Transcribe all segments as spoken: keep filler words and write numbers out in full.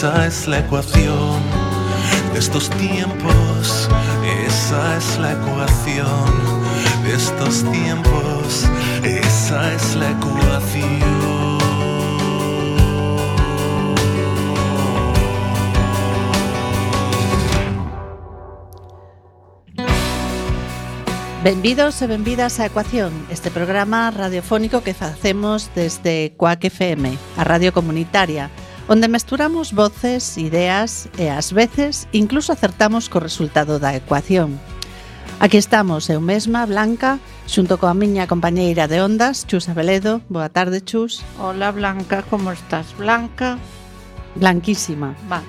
esa es la ecuación de estos tiempos, esa es la ecuación de estos tiempos, esa es la ecuación. Benvidos e benvidas a Ecuación, este programa radiofónico que facemos desde Cuac F M, a radio comunitaria, onde mesturamos voces, ideas e ás veces incluso acertamos co resultado da ecuación. Aquí estamos, eu mesma, Blanca, xunto coa miña compañeira de ondas, Chus Abeledo. Boa tarde, Chus. Hola, Blanca, como estás? Blanca? Blanquísima. Vale.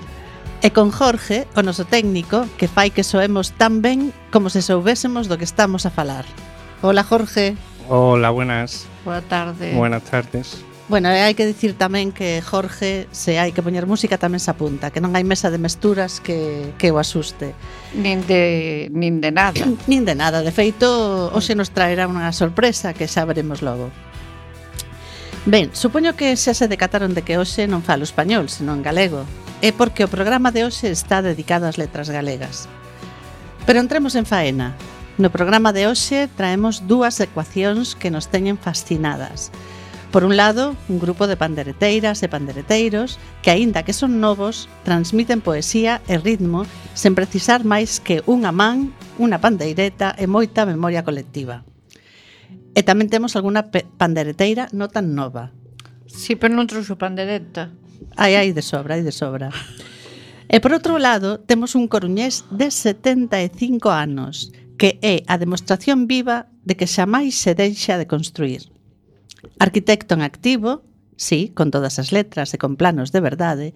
E con Jorge, o noso técnico, que fai que soemos tan ben como se soubésemos do que estamos a falar. Hola, Jorge. Hola, buenas. Boa tarde. Buenas tardes. Bueno, e hai que dicir tamén que Jorge, se hai que poñer música, tamén se apunta, que non hai mesa de mesturas que, que o asuste. Nin de, nin de nada. Nin de nada, de feito, hoxe nos traerá unha sorpresa que xa veremos logo. Ben, supoño que xa se decataron de que hoxe non falo español, senón galego. É porque o programa de hoxe está dedicado ás letras galegas. Pero entremos en faena. No programa de hoxe traemos dúas ecuacións que nos teñen fascinadas. Por un lado, un grupo de pandereteiras e pandereteiros que, aínda que son novos, transmiten poesía e ritmo sen precisar máis que unha man, unha pandeireta e moita memoria colectiva. E tamén temos algunha pandereteira non tan nova. Si, pero non trouxo pandereta. Ai, ai, de sobra, ai, de sobra. E por outro lado, temos un coruñés de setenta e cinco anos, que é a demostración viva de que xamais se deixa de construir. Arquitecto en activo, sí, con todas as letras e con planos de verdade,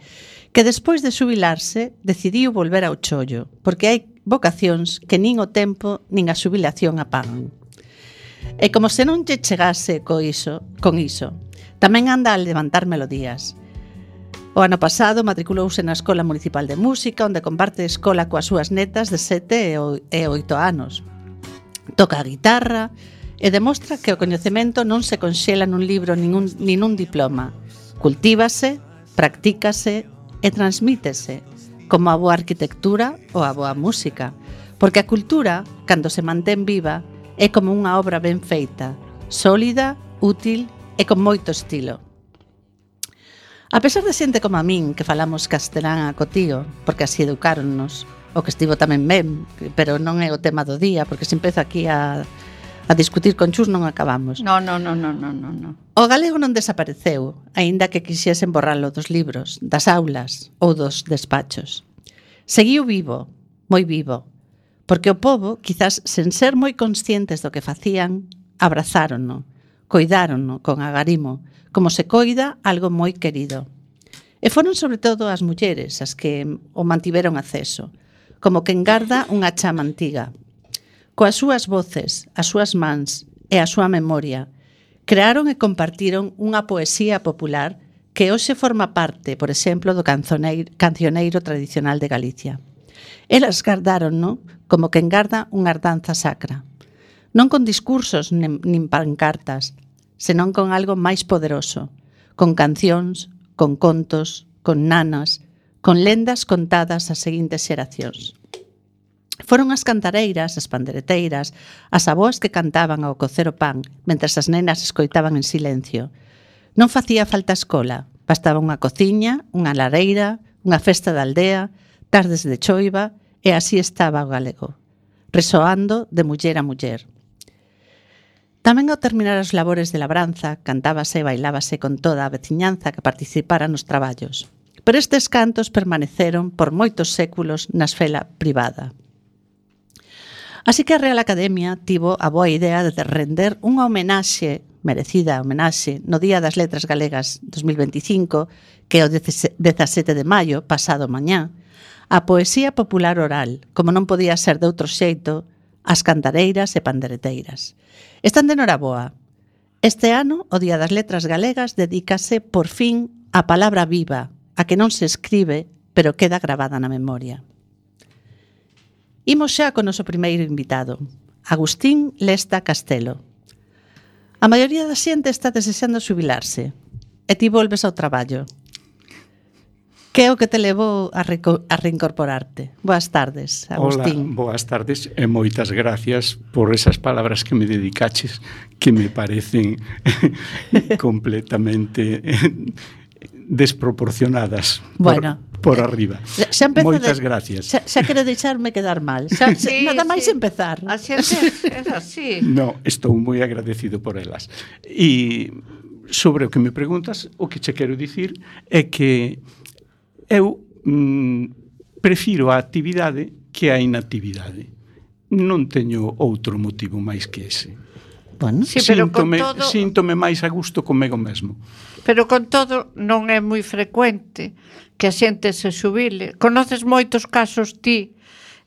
que despois de xubilarse decidiu volver ao chollo, porque hai vocacións que nin o tempo nin a xubilación apagan. E como se non lle chegase co iso, con iso, tamén anda a levantar melodías. O ano pasado matriculouse na Escola Municipal de Música, onde comparte escola coas súas netas de sete e oito anos. Toca a guitarra e demostra que o coñecemento non se conxela nun libro nin un, nin un diploma. Cultívase, practícase e transmítese, como a boa arquitectura ou a boa música. Porque a cultura, cando se mantén viva, é como unha obra ben feita, sólida, útil e con moito estilo. A pesar de xente como a min, que falamos castelán a cotío, porque así educáronnos, o que estivo tamén ben, pero non é o tema do día, porque se empezo aquí a, a discutir con Chus non acabamos. No, no, no, no, no, no. O galego non desapareceu, aínda que quixesen borralo dos libros, das aulas ou dos despachos. Seguiu vivo, moi vivo, porque o pobo, quizás sen ser moi conscientes do que facían, abrazárono, coidárono con agarimo, como se coida algo moi querido. E foron sobre todo as mulleres as que o mantiveron acceso, como quen garda unha chama antiga. Coas súas voces, as súas mans e a súa memoria, crearon e compartiron unha poesía popular que hoxe forma parte, por exemplo, do cancioneiro, cancioneiro tradicional de Galicia. Elas gardáronno como quen garda unha herdanza sacra, non con discursos nin, nin pancartas, senón con algo máis poderoso, con cancións, con contos, con nanas, con lendas contadas ás seguintes xeracións. Foron as cantareiras, as pandereteiras, as avoas que cantaban ao cocer o pan, mentres as nenas escoitaban en silencio. Non facía falta escola, bastaba unha cociña, unha lareira, unha festa de aldea, tardes de choiva, e así estaba o galego, resoando de muller a muller. Tamén ao terminar as labores de labranza, cantábase e bailábase con toda a veciñanza que participara nos traballos. Pero estes cantos permaneceron por moitos séculos na esfera privada. Así que a Real Academia tivo a boa idea de render unha homenaxe, merecida homenaxe, no Día das Letras Galegas dos mil veinticinco, que é o dezasete de maio, pasado mañá, a poesía popular oral, como non podía ser de outro xeito, as cantareiras e pandereteiras. Están de noraboa. Este ano, o Día das Letras Galegas dedícase, por fin, á palabra viva, a que non se escribe, pero queda gravada na memoria. Imos xa con o noso primeiro invitado, Agustín Lesta Castelo. A maioría da xente está desexando xubilarse, e ti volves ao traballo. Que é o que te levou a, reco- a reincorporarte? Boas tardes, Agustín. Hola, boas tardes e moitas gracias por esas palabras que me dedicaches que me parecen completamente desproporcionadas Bueno, por, por arriba. Xa, xa empeza Moitas de- gracias. Xa, xa quero deixarme quedar mal. Xa, xa, Sí, nada máis sí. empezar. A xente é así. No, estou moi agradecido por elas. E sobre o que me preguntas, o que che quero dicir é que eu mm, prefiro a actividade que a inactividade. Non teño outro motivo máis que ese. Bueno, Sí, pero con síntome, todo- síntome máis a gusto comigo mesmo. Pero con todo non é moi frecuente que a xente se xubile. Conoces moitos casos ti,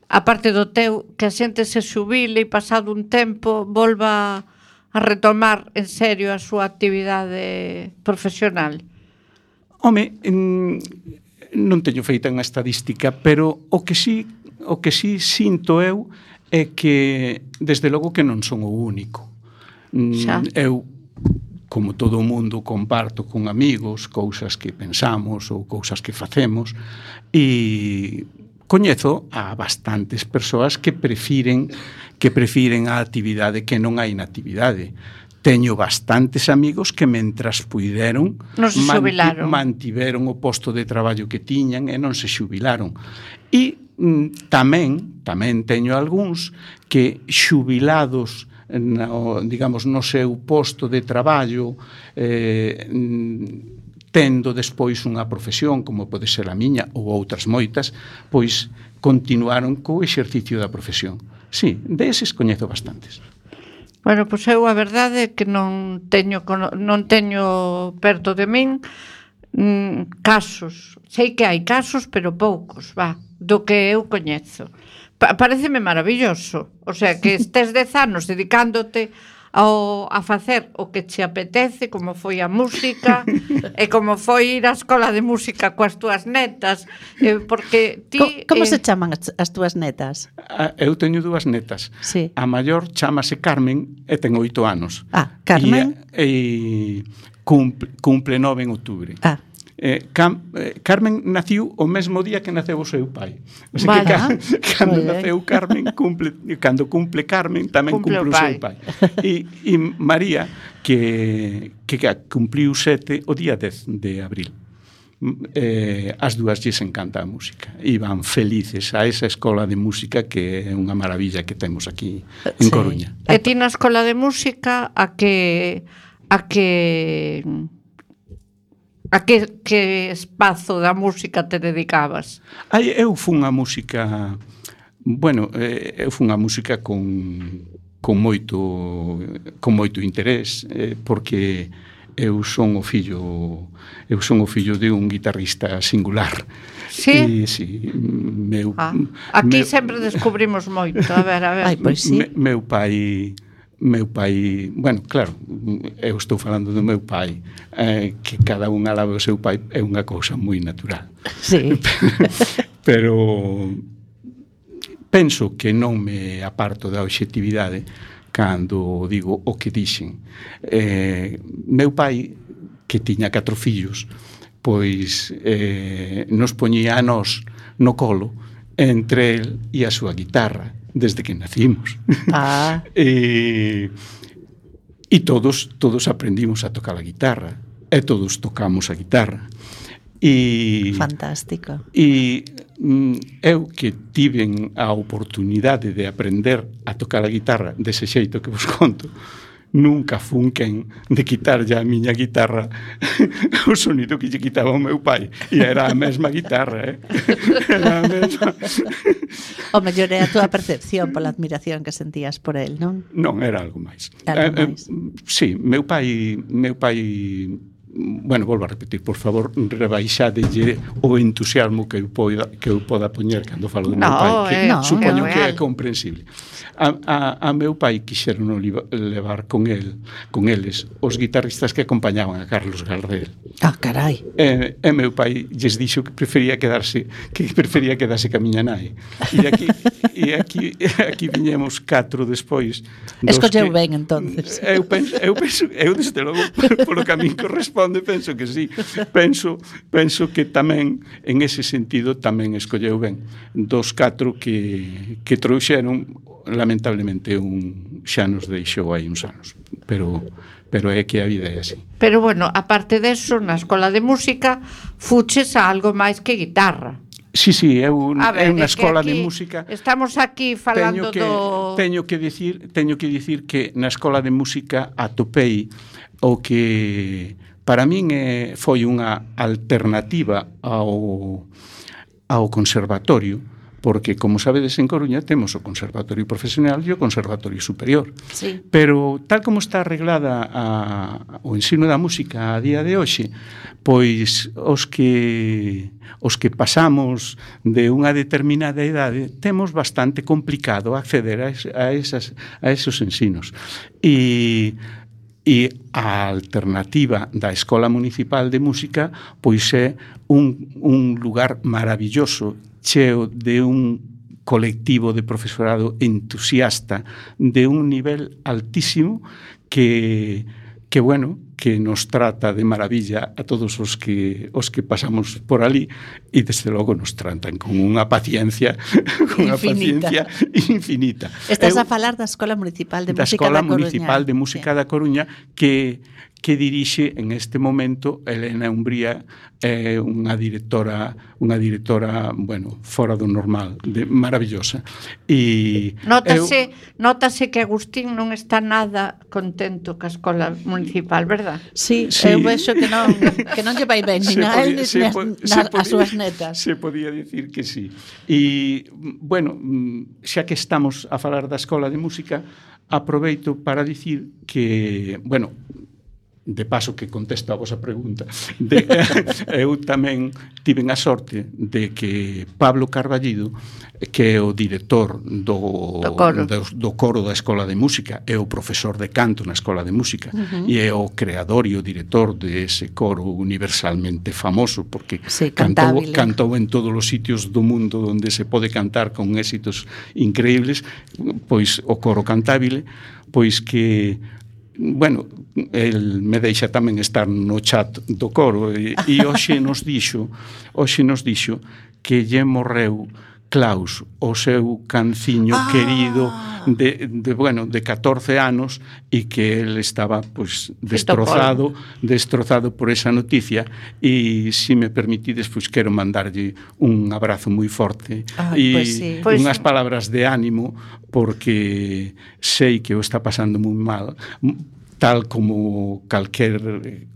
aparte do teu, que a xente se xubile e pasado un tempo volva a retomar en serio a súa actividade profesional. Home, mm, non teño feita unha estadística, pero o que sí, o que sí sinto eu é que desde logo que non son o único. Mm, Xa. Eu, como todo o mundo, comparto con amigos cousas que pensamos ou cousas que facemos e coñezo a bastantes persoas que prefiren que prefiren a actividade que non a inactividade. Teño bastantes amigos que mentras puideron Non se xubilaron. mantiveron o posto de traballo que tiñan e non se xubilaron. E mm, tamén, tamén teño algúns que xubilados no, digamos, no seu posto de traballo eh, mm, tendo despois unha profesión como pode ser a miña ou outras moitas, pois continuaron co exercicio da profesión. Sí, deses coñezo bastantes. Bueno, pois eu a verdade é que non teño cono- non teño perto de min mm, casos. Sei que hai casos, pero poucos, va, do que eu coñezo. Pa- paréceme maravilloso. O sea, que estes dez anos dedicándote ao, a facer o que che apetece, como foi a música e como foi ir á escola de música coas túas netas, eh, porque ti... Co- como eh, se chaman as, as túas netas? A, eu teño dúas netas. Sí. A maior chamase Carmen e ten oito anos. Ah, Carmen. E, e cumple, cumple nove en outubro. Ah, Eh, Cam, eh, Carmen naciu o mesmo día que naceu o seu pai. O sea Vale. que ca, cando Moi ben. naceu Carmen, cumple, cando cumple Carmen, tamén Cumple cumple, o o seu pai. pai. E, e María, que, que cumpliu sete o día dez de abril. Eh, as dúas lles encanta a música e van felices a esa escola de música que é unha maravilla que temos aquí en Sí. Coruña. E ti na escola de música a que a que a que, que espazo da música te dedicabas? Ai, eu fun a música, bueno, eh, eu fun a música con con moito con moito interés, eh, porque eu son o fillo eu son o fillo de un guitarrista singular. Sí? E, sí, meu Ah, aquí meu, sempre descubrimos moito. A ver, a ver. ai, pois sí. me, meu pai meu pai, bueno, claro, eu estou falando do meu pai, eh, que cada un alaba o seu pai é unha cousa moi natural. Sí. Pero penso que non me aparto da obxectividade cando digo o que dixen. Eh, meu pai, que tiña catro fillos, pois eh, nos poñía a nós no colo entre el e a súa guitarra desde que nacimos. Ah, e, e todos todos aprendimos a tocar a guitarra e todos tocamos a guitarra. E fantástico. E mm, eu que tiven a oportunidade de aprender a tocar a guitarra dese xeito que vos conto, nunca fun quen de quitarlle a miña guitarra o sonido que lle quitaba o meu pai. E era a mesma guitarra, eh? Era a mesma. O mellor é a túa percepción pola admiración que sentías por el, non? Non, era algo máis. Algo Eh, eh, máis. sí, meu pai, meu pai bueno, volvo a repetir, por favor, rebaixadelle o entusiasmo que eu poda, que eu poda poñer cando falo do No, meu pai, que é- no, supoño é que é real. comprensible. A, a, a meu pai quixeron levar con el, con eles, os guitarristas que acompañaban a Carlos Gardel. Ah, carai. E, e meu pai lles dixo que prefería quedarse que prefería quedarse ca miña nai. E aquí e aquí aquí viñemos catro despois. dos Escolleu que- ben, entonces. Eu penso, eu penso, eu desde logo polo que a min corresponde responde, penso que sí. Penso, penso que tamén, en ese sentido, tamén escolleu ben. Dos catro que, que trouxeron, lamentablemente, un xa nos deixou aí uns anos. Pero, pero é que a vida é así. Pero, bueno, aparte deso, na escola de música, fuches a algo máis que guitarra. Sí, sí, é, un, ver, é unha escola de aquí, música. Estamos aquí falando teño que, do... Teño que dicir, teño que dicir que na escola de música atopei o que para min é, foi unha alternativa ao, ao conservatorio, porque, como sabedes, en Coruña temos o Conservatorio Profesional e o Conservatorio Superior. Sí. Pero, tal como está arreglada a, o ensino da música a día de hoxe, pois os que os que pasamos de unha determinada idade temos bastante complicado acceder a, es, a, esas, a esos ensinos. E E a alternativa da Escola Municipal de Música pois é un, un lugar maravilloso, cheo de un colectivo de profesorado entusiasta de un nivel altísimo que, que bueno, que nos trata de maravilla a todos os que os que pasamos por ali e desde logo nos tratan con unha paciencia con unha paciencia infinita. Estás Eu, a falar da Escola Municipal de da Música Escola da Coruña. Municipal de Música sí. da Coruña que que dirixe en este momento Elena Umbría, é eh, unha directora, unha directora, bueno, fora do normal, de, maravillosa. E Nótase, eu... nótase que Agustín non está nada contento ca Escola Municipal, verdad? Sí, sí. eu vexo que non que non lle vai ben nin a él nin as, as súas netas. Se podía dicir que sí. E, bueno, xa que estamos a falar da Escola de Música, aproveito para dicir que, bueno, de paso que contesto a vosa pregunta, de, eu tamén tiven a sorte de que Pablo Carballido, que é o director do, do, coro. do, do coro da Escola de Música, é o profesor de canto na Escola de Música, uh-huh. e é o creador e o director de ese coro universalmente famoso, porque sí, cantou, cantou en todos os sitios do mundo onde se pode cantar con éxitos increíbles, pois o coro cantabile, pois que bueno, el me deixa tamén estar no chat do coro e, e hoxe nos dixo hoxe nos dixo que lle morreu Klaus, o seu canciño ah. querido de, de, bueno, de catorce anos e que el estaba pues, destrozado destrozado por esa noticia e se me permitides, pois quero mandarlle un abrazo moi forte e pues sí. pues unhas sí. palabras de ánimo porque sei que o está pasando moi mal, tal como calquer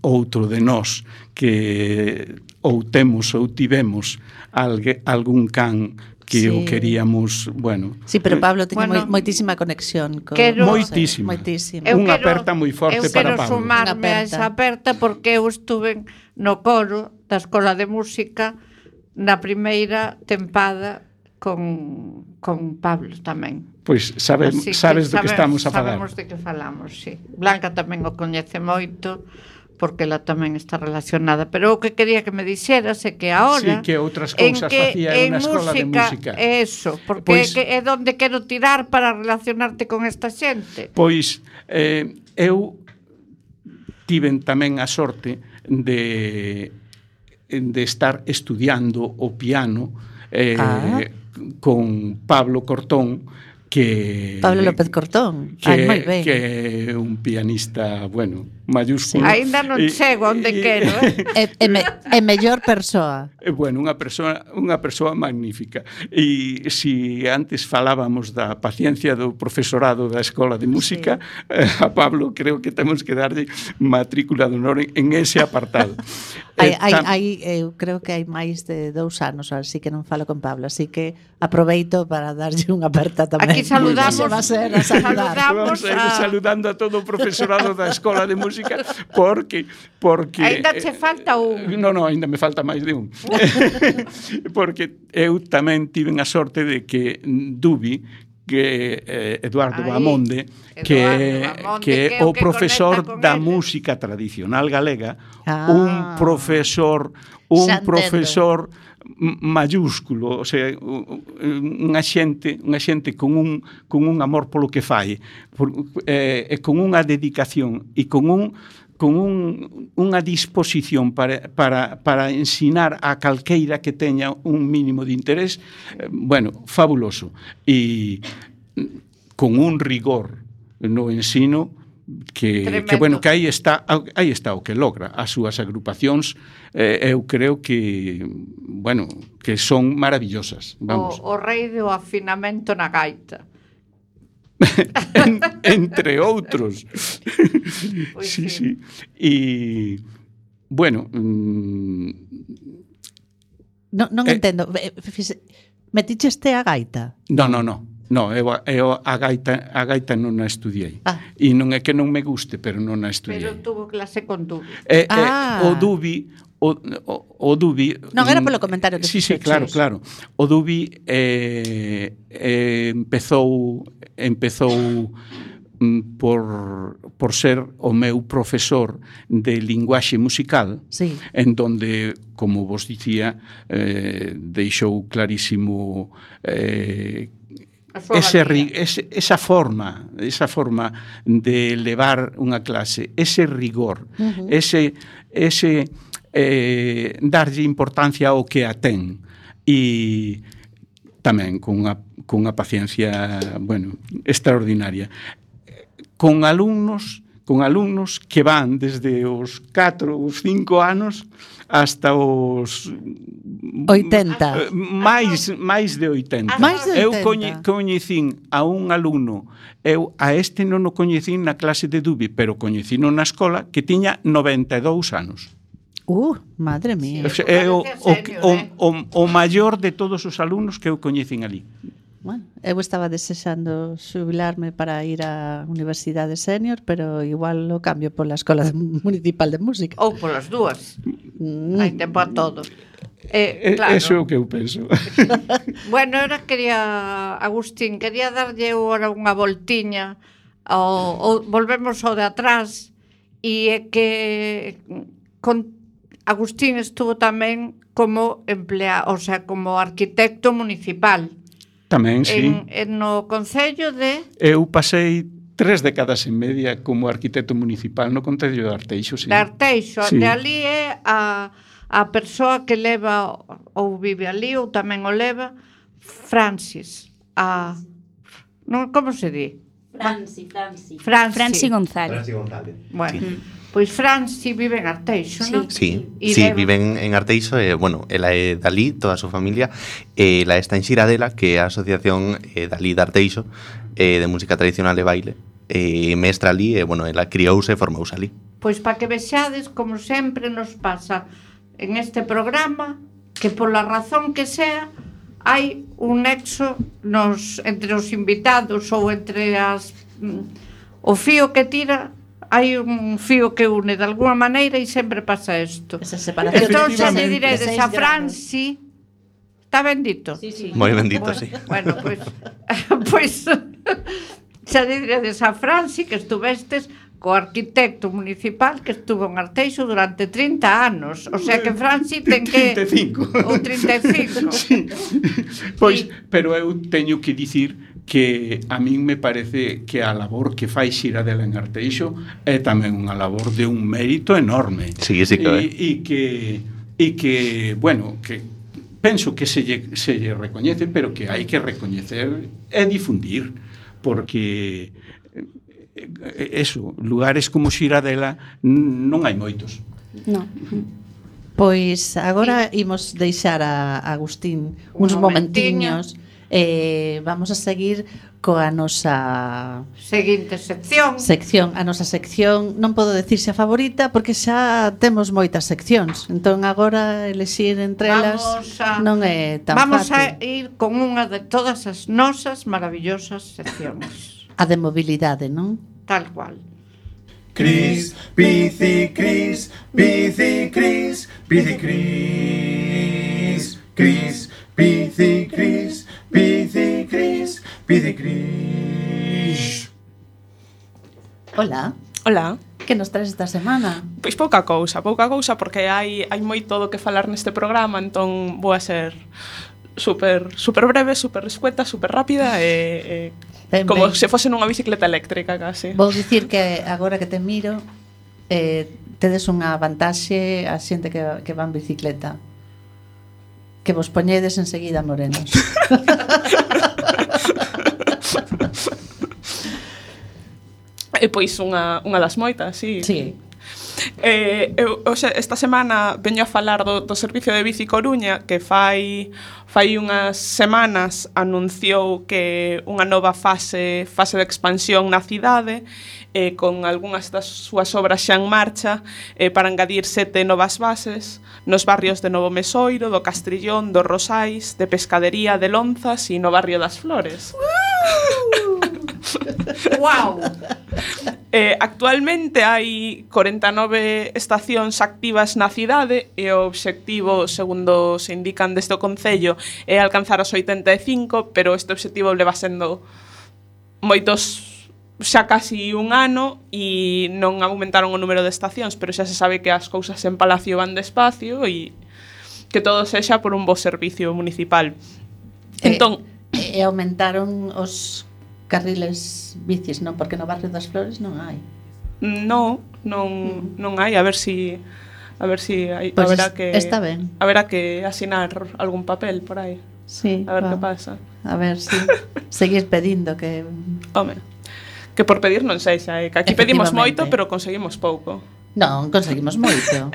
outro de nós que ou temos ou tivemos algue, algún can que sí. o queríamos, bueno... Sí, pero Pablo tiña bueno, moitísima conexión con... Quero, moitísima. moitísima. Unha aperta moi forte para Pablo. Eu quero sumarme a esa aperta porque eu estuve no coro da Escola de Música na primeira tempada con, con Pablo tamén. Pois sabe, sabes do que estamos a falar. Sabemos de que falamos, sí. Blanca tamén o coñece moito, porque ela tamén está relacionada, pero o que quería que me dixeras é que ahora sí, que outras cousas facía en unha escola de música. Eso, porque pois, é, que é donde quero tirar para relacionarte con esta xente. Pois eh, eu tiven tamén a sorte de de estar estudiando o piano eh, ah. con Pablo Cortón, que Pablo López Cortón, que, ah, moi ben. Que é un pianista, bueno, mayúsculo. Sí. Ainda non chego onde quero, eh? é, é, me, é mellor persoa. É bueno, unha persoa, unha persoa magnífica. E se si antes falábamos da paciencia do profesorado da Escola de Música, sí. eh, a Pablo creo que temos que darlle matrícula de honor en ese apartado. hai, hai, hai, eu creo que hai máis de dous anos, así que non falo con Pablo, así que aproveito para darlle unha aperta tamén. Aquí saludamos, va a ser a saludar. saludamos Vamos a ir saludando a todo o profesorado da Escola de Música porque porque ainda che falta un. No, no, ainda me falta máis de un. Porque eu tamén tiven a sorte de que Dubi, que eh, Eduardo Ay, Bamonde, que Eduardo Bamonde, que é o profesor da él. música tradicional galega, ah, un profesor, un Xantendo. profesor mayúsculo, o sea, unha xente, unha xente con un con un amor polo que fai, por, eh, e con unha dedicación e con un con un, unha disposición para, para, para ensinar a calqueira que teña un mínimo de interés, eh, bueno, fabuloso. E con un rigor no ensino que, que bueno, que aí está, aí está o que logra. As súas agrupacións, eh, eu creo que, bueno, que son maravillosas. Vamos. O, o rei do afinamento na gaita. en, entre outros. Pois sí, sí. sí. E, bueno... Mm, Non, non eh, entendo. Meticheste a gaita? no, no, no. No, eu, eu a gaita a gaita non a estudiei. Ah. E non é que non me guste, pero non a estudiei. Pero tuvo clase con Dubi. Eh, Ah. eh, o Dubi o, o, o Dubi Non, era polo comentario que sí, sí, fixeches. claro, claro. O Dubi eh, eh, empezou empezou mm, por, por ser o meu profesor de linguaxe musical, Sí. en donde, como vos dicía, eh, deixou clarísimo eh, ese, ri, ese, esa forma esa forma de levar unha clase, ese rigor, uh-huh. ese, ese eh, darlle importancia ao que a ten, e tamén con unha, con unha paciencia, bueno, extraordinaria, con alumnos con alumnos que van desde os catro, os cinco anos hasta os oitenta. máis máis de oitenta. Máis de Eu oitenta. coñe, coñecín a un alumno, eu a este non o coñecín na clase de Dubi, pero coñecino na escola, que tiña noventa e dous anos. Uh, madre mía. O sea, é o, o, o, o, o maior de todos os alumnos que eu coñecín ali. Bueno, eu estaba desexando xubilarme para ir á Universidade Senior, pero igual o cambio pola Escola Municipal de Música. Ou polas dúas. Mm. Hai tempo a todo. Eh, E- claro. Eso é o que eu penso. Bueno, ahora quería, Agustín, quería darlle agora unha voltiña ao, ao, volvemos ao de atrás, e é que con, Agustín estuvo tamén como emplea, o sea, como arquitecto municipal. Tamén, sí. En, en no Concello de... Eu pasei tres décadas e media como arquitecto municipal no Concello de Arteixo, sí. de Arteixo, Sí. de ali é a, a persoa que leva ou vive ali ou tamén o leva Francis, a non, como se di? Franci, Franci. Franci. Franci González. Franci González. Bueno, Sí. pois Franci vive en Arteixo, non? Sí, E sí, leva- viven en Arteixo, e, bueno, ela é Dalí, toda a súa familia, e ela está en Xiradela, que é a asociación eh, Dalí de Arteixo, eh, de música tradicional e baile, e mestra ali, e, bueno, ela criouse e formouse ali. Pois para que vexades, como sempre nos pasa en este programa, que pola razón que sea, hai un nexo nos, entre os invitados ou entre as mm, o fío que tira, hai un fío que une de alguna maneira, e sempre pasa isto. Esa separación. Entón xa lle Efectivamente. diredes Seis a grados. Franci, está bendito? Sí, sí. Moi bendito, sí. Bueno, pois pois xa lle diredes a Franci que estuvestes co arquitecto municipal que estuvo en Arteixo durante trinta anos. O sea que Franci ten que... trinta e cinco. Ou trinta e cinco. Sí. Pois, Sí. pero eu teño que dicir que a min me parece que a labor que fai Xiradela en Arteixo é tamén unha labor de un mérito enorme. Sí, sí que é. E, e que e que, bueno, que penso que se lle, se lle recoñece, pero que hai que recoñecer e difundir, porque eh, eso, lugares como Xiradela n- non hai moitos. No. Pois agora imos deixar a Agustín Un uns momentiño. momentiños. Eh, vamos a seguir coa nosa Seguinte sección. sección, a nosa sección, non podo decir xa favorita porque xa temos moitas seccións. Entón agora elexir entre elas Vamos a- non é tan Vamos fácil. a ir con unha de todas as nosas maravillosas seccións. A de mobilidade, non? Tal cual. Cris, bici, Cris, bici, Cris, bici, Cris, Cris, bici, Cris, bici, Cris, bici, Cris. Hola, Hola. que nos traes esta semana? Pois pouca cousa, pouca cousa porque hai hai moito do que falar neste programa, entón vou a ser super super breve, super escueta, super rápida e, e Ben, como ben. se fose nunha bicicleta eléctrica casi. Vou dicir que agora que te miro eh, tedes unha vantaxe a xente que, que va en bicicleta, que vos poñedes enseguida morenos. E pois unha, unha das moitas, sí. Sí. Eh, eu, o sea, esta semana veño a falar do, do servicio de Bici Coruña, que fai fai unhas semanas anunciou que unha nova fase fase de expansión na cidade, eh, con algunhas das súas obras xa en marcha, eh, para engadir sete novas bases nos barrios de Novo Mesoiro, do Castrillón, do Rosais, de Pescadería, de Lonzas e no barrio das Flores. Wow. Eh, actualmente hai corenta e nove estacións activas na cidade e o obxectivo, segundo se indican desde o Concello, é alcanzar as oitenta e cinco, pero este obxectivo leva sendo moitos, xa casi un ano, e non aumentaron o número de estacións, pero xa se sabe que as cousas en Palacio van despacio e que todo sexa por un bo servicio municipal. Entón, E, e aumentaron os carriles bicis, non? Porque no barrio das Flores non hai. no, non non hai, a ver si a ver si hai, Pois haberá es- que está ben. haberá que asinar algún papel por aí. Sí, A ver va. que pasa. A ver si seguir pedindo que Home, que por pedir non sei xa, eh, que aquí pedimos Efectivamente. moito, pero conseguimos pouco. non conseguimos moito.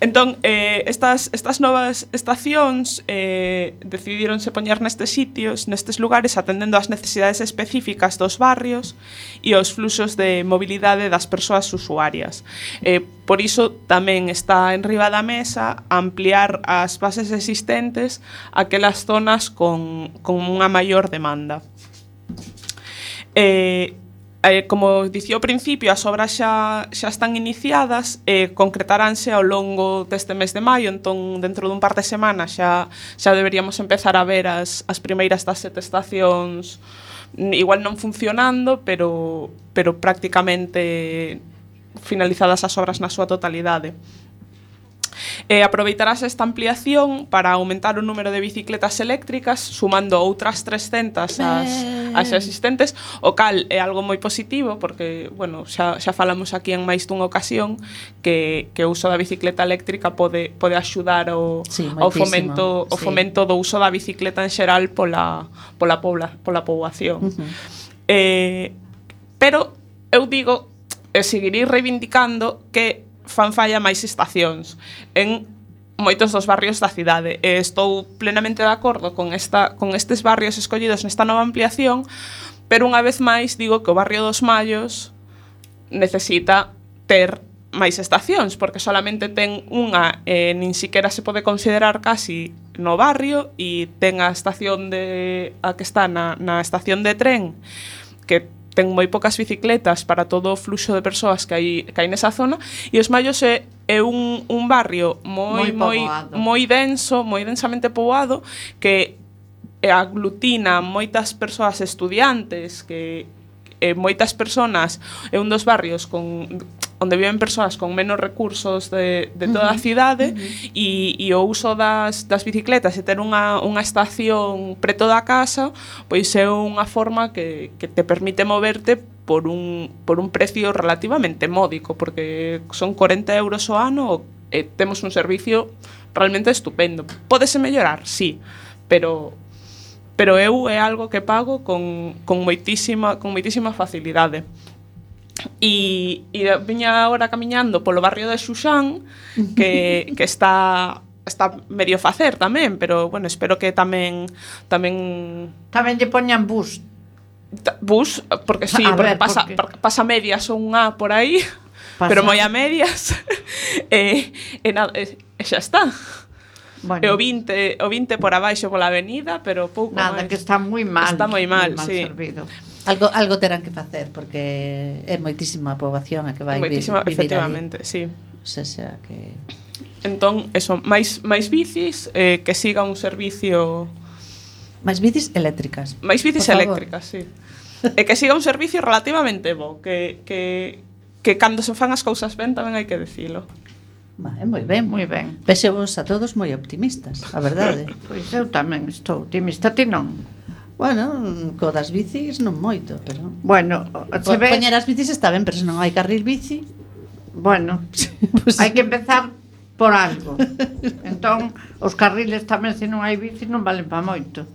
Entón, eh, estas, estas novas estacións eh, decidíronse poñer nestes sitios, nestes lugares, atendendo ás necesidades específicas dos barrios e aos fluxos de mobilidade das persoas usuarias. Eh, por iso tamén está en riba da mesa ampliar as bases existentes a aquelas zonas con, con unha maior demanda. Eh, Eh, como dicía ao principio, as obras xa, xa están iniciadas, eh, concretaránse ao longo deste mes de maio, entón dentro dun par de semanas xa, xa deberíamos empezar a ver as, as primeiras das sete estacións, igual non funcionando, pero, pero prácticamente finalizadas as obras na súa totalidade. Eh, aproveitarás esta ampliación para aumentar o número de bicicletas eléctricas, sumando outras trescentas ás, ás existentes, o cal é algo moi positivo, porque, bueno, xa, xa falamos aquí en máis dunha ocasión que, que o uso da bicicleta eléctrica pode, pode axudar ao, Sí, ao moitísimo, fomento, o sí. fomento do uso da bicicleta en xeral pola, pola, pobla, pola poboación. Uh-huh. Eh, pero eu digo, e seguirei reivindicando que fan falla máis estacións en moitos dos barrios da cidade. E estou plenamente de acordo con, esta, con estes barrios escollidos nesta nova ampliación, pero unha vez máis digo que o barrio dos Mallos necesita ter máis estacións, porque solamente ten unha, e nin siquiera se pode considerar casi no barrio, e ten a estación de a que está na, na estación de tren, que ten moi poucas bicicletas para todo o fluxo de persoas que hai, que hai nesa zona, e Os Mallos é, é un, un barrio moi, moi, Moi moi poboado. denso, moi densamente poboado, que aglutina moitas persoas estudiantes, que eh, moitas persoas, é un dos barrios con onde viven persoas con menos recursos de, de toda a cidade, e, e o uso das, das bicicletas e ter unha, unha estación preto da casa, pois é unha forma que, que te permite moverte por un, por un precio relativamente módico, porque son corenta euros ao ano e temos un servicio realmente estupendo. Pódese mellorar, sí, pero pero eu é algo que pago con, con moitísima con moitísima facilidade. E, e viña agora camiñando polo barrio de Xuxán, que, que está está medio facer tamén, pero bueno, espero que tamén tamén Tamén lle poñan bus. ta- bus, porque sí, A porque ver, pasa, porque- porque pasa medias ou un A por aí, Pasa. pero moi a medias. e, e, nada, e, e xa está. Bueno, E o vinte, o vinte por abaixo pola avenida, pero pouco nada, máis. que está moi mal. Está moi mal, moi mal sí. servido. Algo algo terán que facer porque é moitísima a poboación a que vai vi- Moitísima, vivir efectivamente, sí. ali. O sea, xa que Entón, eso, máis máis bicis, eh, que siga un servicio, máis bicis eléctricas. máis bicis Por favor. eléctricas, sí. E que siga un servicio relativamente bo, que que que cando se fan as cousas ben tamén hai que dicilo. Vale, moi ben. Moi ben. Vexevos a todos moi optimistas, a verdade. Pois eu tamén estou optimista, ti non. Bueno, co das bicis non moito, pero Bueno, se Po- ve... poñer as bicis está ben, pero se non hai carril bici, Bueno, Pues- hai que empezar por algo. Entón, os carriles tamén, se non hai bici, non valen pa moito.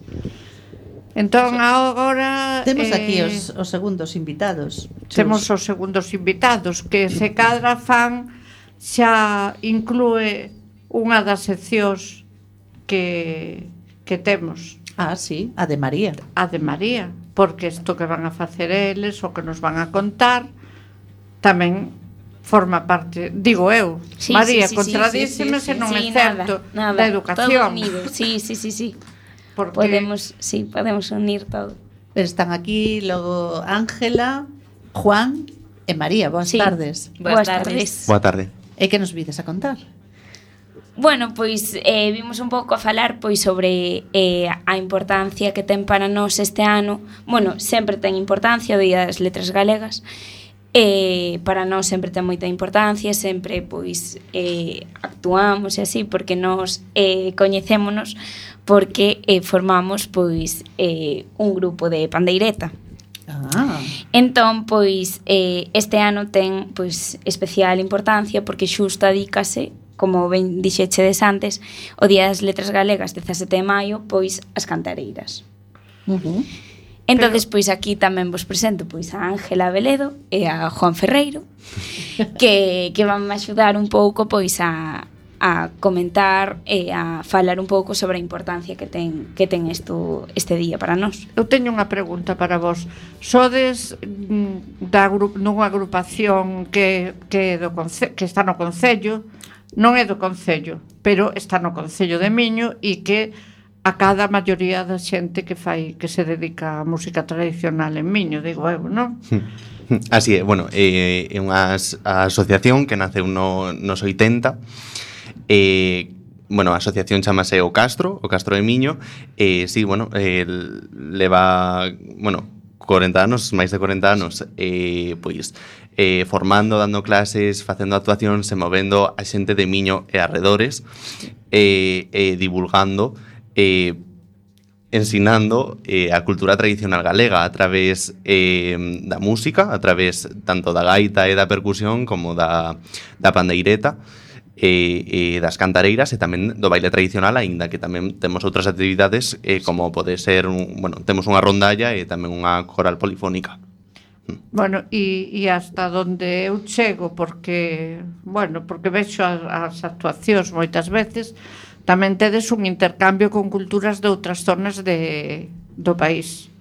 Entón, agora... Temos eh, aquí os, os segundos invitados. Temos os segundos invitados, que se cadra fan xa inclúe unha das seccións que, que temos, Ah, sí, a de María. a de María, porque isto que van a facer eles, o que nos van a contar, tamén forma parte, digo eu, Sí, María, sí, sí, contradíceme sí, se sí, non sí, é certo nada, nada, da educación. Todo unido. Sí, sí, sí, sí. Porque Podemos, sí, podemos unir todo. Están aquí logo Ángela, Juan e María. Boas Sí. tardes. Boas tardes. Boa tarde. E que nos vides a contar? Bueno, pois eh, vimos un pouco a falar pois sobre eh, a importancia que ten para nós este ano. Bueno, sempre ten importancia o Día das Letras Galegas. Eh, para nós sempre ten moita importancia, sempre pois eh, actuamos e así porque nós eh, coñecémonos porque eh, formamos pois eh, un grupo de pandeireta. Ah, Entón, pois, eh, este ano ten pois, especial importancia porque xusto adícase, como ben dixechedes antes, o Día das Letras Galegas, dezasete de maio, pois, as cantareiras. uh-huh. Entonces, pois, aquí tamén vos presento pois, a Ángela Veledo e a Juan Ferreiro, que, que van a axudar un pouco pois, a, a comentar e a falar un pouco sobre a importancia que ten, que ten isto, este día para nós. eu teño unha pregunta para vos. Sodes mm, da gru nunha agrupación que, que, do conce que está no Concello, non é do Concello, pero está no Concello de Miño e que a cada maioría da xente que fai que se dedica á música tradicional en Miño, digo eu, non? Así é, bueno, é eh, unha as- a asociación que naceu no, nos oitenta. Eh, bueno, a asociación chamase O Castro, O Castro de Miño. E eh, sí, bueno, eh, leva, bueno, corenta anos, máis de corenta anos, eh, pois eh, formando, dando clases, facendo actuacións e movendo a xente de Miño e arredores, e eh, eh, divulgando eh, ensinando eh, a cultura tradicional galega a través eh, da música, a través tanto da gaita e da percusión como da, da pandeireta e, e das cantareiras e tamén do baile tradicional, aínda que tamén temos outras actividades eh, como pode ser, un, bueno, temos unha rondalla e tamén unha coral polifónica. Bueno, e, e hasta onde eu chego, porque, bueno, porque vexo as, as actuacións moitas veces, tamén tedes un intercambio con culturas de outras zonas de, do país.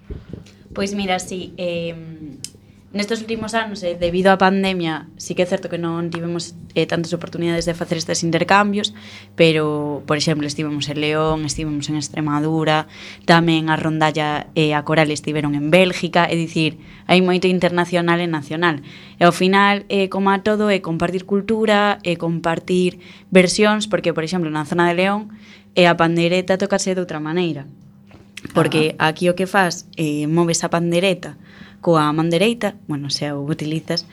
Pois mira, sí, eh, nestes últimos anos, eh, debido á pandemia, sí que é certo que non tivemos eh, tantas oportunidades de facer estes intercambios, pero, por exemplo, estivemos en León, estivemos en Extremadura, tamén a rondalla e a coral estiveron en Bélgica, é dicir, hai moito internacional e nacional. E ao final, eh, como a todo, é compartir cultura, é compartir versións, porque, por exemplo, na zona de León, eh, a pandeireta tocase de outra maneira. Porque aquí o que faz, eh, moves a pandereta coa man dereita, bueno, se o utilizas,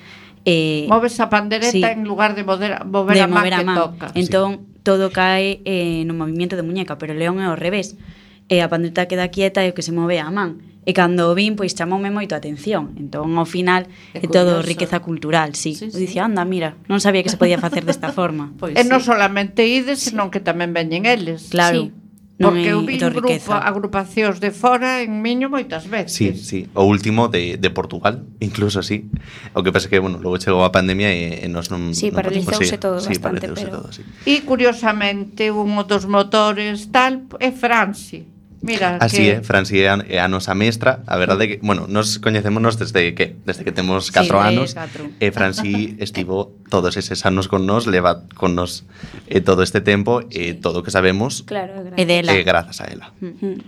eh, Moves a pandereta sí, en lugar de mover, mover de a man mover a que man. toca. Entón, todo cae eh, no movimento de muñeca, pero o león é ao revés. E a pandereta queda quieta e o que se move é a man. E cando o vin, pois chamoume moito a atención. Entón, ao final, É é todo curioso. riqueza cultural, sí. Sí, Eu sí. dicía, anda, mira, non sabía que se podía facer desta forma. Pois E sí. non solamente ides, senón que tamén veñen eles. Claro. Sí. Non Porque é eu vi todo grupo, riqueza. agrupacións de fora en Miño moitas veces. Sí, sí, o último de, de Portugal, incluso sí. O que pasa que, bueno, logo chegou a pandemia e, e nos non Sí, non paralizouse podemos ir. todo sí, bastante, paralizouse pero- todo, sí. E curiosamente, un dos motores tal é Franci. Mira, Así que é, Franci é a, é a nosa mestra. A verdade é que, bueno, nos coñecémonos desde que desde que temos catro de anos. catro. E Franci estivo todos eses anos con nos, leva con nos eh, todo este tempo e todo o que sabemos Claro, E dela. é grazas a ela. Mm.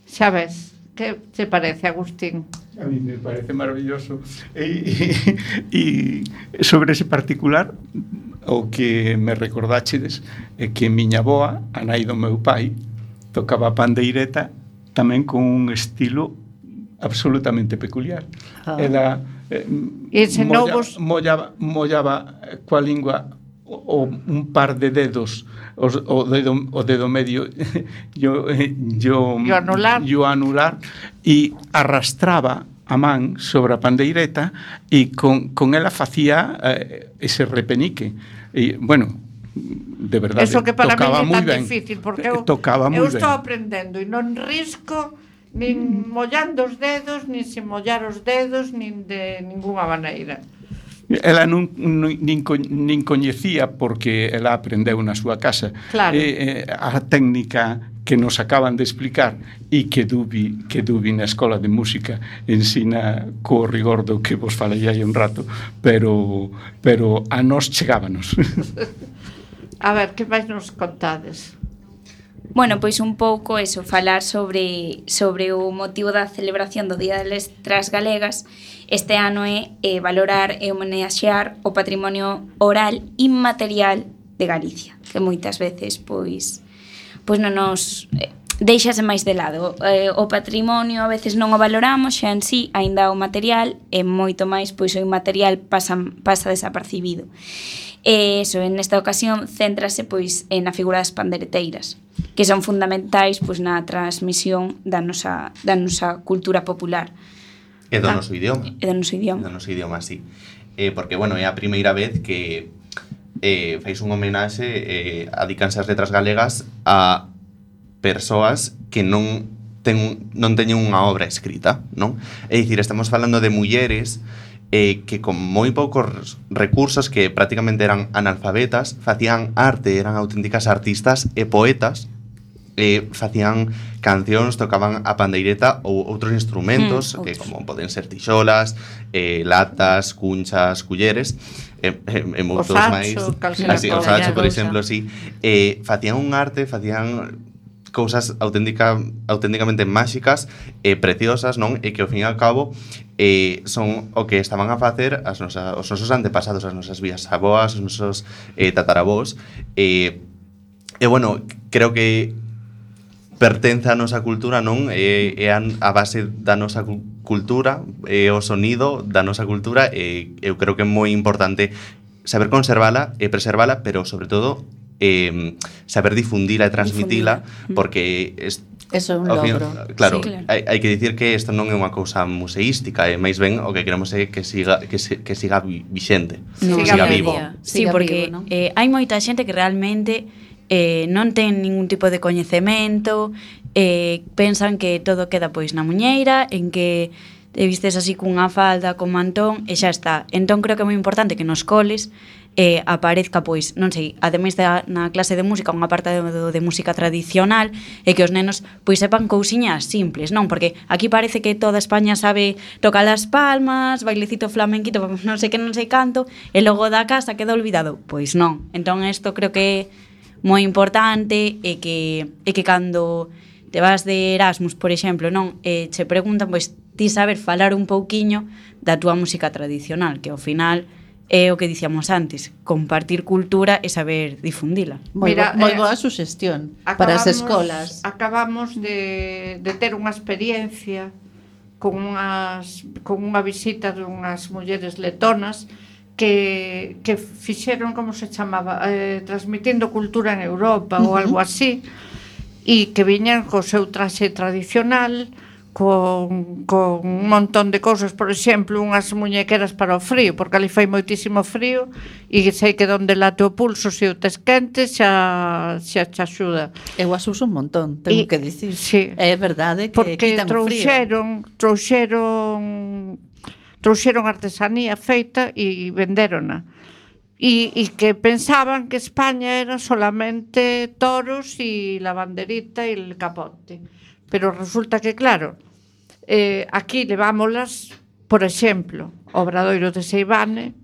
xa ves, que te parece, Agustín? A mí me parece maravilloso. E, e, e sobre ese particular, o que me recordáchedes é que miña aboa, a nai do meu pai, tocaba a pandeireta tamén con un estilo absolutamente peculiar. Ah. Ela eh, E ensinou molla, vos- mollaba, mollaba eh, coa lingua o, o un par de dedos, os, o, dedo, o dedo medio yo, eh, yo, E o anular. yo anular e arrastraba a man sobre a pandeireta e con, con ela facía eh, ese repenique. E, bueno, de verdade, eso que para tocaba mí é moi tan ben. difícil, porque eu, tocaba eu moi estou ben. aprendendo e non risco nin mollando os dedos, nin sin mollar os dedos, nin de ninguna maneira. Ela non, non, nin, co, nin coñecía porque ela aprendeu na súa casa. Claro. Eh, eh, a técnica que nos acaban de explicar e que Dubi, que Dubi na Escola de Música ensina co rigor do que vos falei hai un rato, pero, pero a nós chegábanos. A ver, que máis nos contades? Bueno, pois un pouco eso, falar sobre, sobre o motivo da celebración do Día das Letras Galegas. Este ano é eh, valorar e homenaxear o patrimonio oral inmaterial de Galicia, que moitas veces pois pois non nos eh, deixase máis de lado. Eh, o patrimonio a veces non o valoramos xa en sí, aínda o material, e moito máis pois o inmaterial pasa, pasa desapercibido. E eso, en esta ocasión, céntrase pois na figura das pandereteiras, que son fundamentais pois na transmisión da nosa, da nosa cultura popular. E do noso idioma. E do noso idioma. E do noso idioma, sí. Eh, porque, bueno, é a primeira vez que eh, fais un homenaxe, eh, adicanse as letras galegas a persoas que non ten, non teñen unha obra escrita, non? É dicir, estamos falando de mulleres eh, que con moi poucos recursos, que prácticamente eran analfabetas, facían arte, eran auténticas artistas e poetas, eh, facían cancións, tocaban a pandeireta ou outros instrumentos, mm, que outros. Como poden ser tixolas, eh, latas, cunchas, culleres, e, e, e moitos máis. Así, o sacho, por exemplo, sí. Eh, facían un arte, facían cousas auténtica, auténticamente máxicas e preciosas, non? E que ao fin e ao cabo eh, son o que estaban a facer as nosas, os nosos antepasados, as nosas vías aboas, os nosos eh, tataravós. E, e bueno, creo que pertence a nosa cultura, non? É, é a base da nosa cultura, é o sonido da nosa cultura, e eu creo que é moi importante saber conservala e preservala, pero sobre todo eh, saber difundila e transmitila, porque es, eso é un logro. Fin, claro, sí, claro. hai, hai que dicir que isto non é unha cousa museística, é máis ben o que queremos é que siga que, se, que siga vixente, no, siga, siga vivo. Sí, siga porque vivo, ¿no? eh, hai moita xente que realmente eh, non ten ningún tipo de coñecemento, eh, pensan que todo queda pois na muñeira, en que te vistes así cunha falda, con mantón, e xa está. Entón creo que é moi importante que nos coles eh, aparezca, pois, non sei, ademais da na clase de música, unha parte de, de música tradicional, e que os nenos pois sepan cousiñas simples, non? Porque aquí parece que toda España sabe tocar as palmas, bailecito flamenquito, non sei que, non sei canto, e logo da casa queda olvidado. Pois non. Entón isto creo que é moi importante, e que, e que cando te vas de Erasmus, por exemplo, non, e che preguntan, pois, ti saber falar un pouquiño da túa música tradicional, que ao final é o que dicíamos antes, compartir cultura e saber difundila. Moi, Mira, bo, moi eh, boa suxestión para as escolas. Acabamos de, de ter unha experiencia con, unhas, con unha visita de unhas mulleres letonas que, que fixeron, como se chamaba, eh, transmitindo cultura en Europa, uh-huh, ou algo así, e que viñan co seu traxe tradicional, con, con un montón de cousas, por exemplo, unhas muñequeras para o frío, porque ali fai moitísimo frío, e sei que donde late o pulso, se o tes quente, xa, xa te axuda. Eu as uso un montón, tengo E, que dicir. Sí, é verdade que porque quitan o frío. trouxeron, trouxeron, trouxeron artesanía feita e vendérona. E, e que pensaban que España era solamente toros e la banderita e el capote. Pero resulta que, claro, eh, aquí levámolas, por exemplo, ao Obradoiro de Seivane,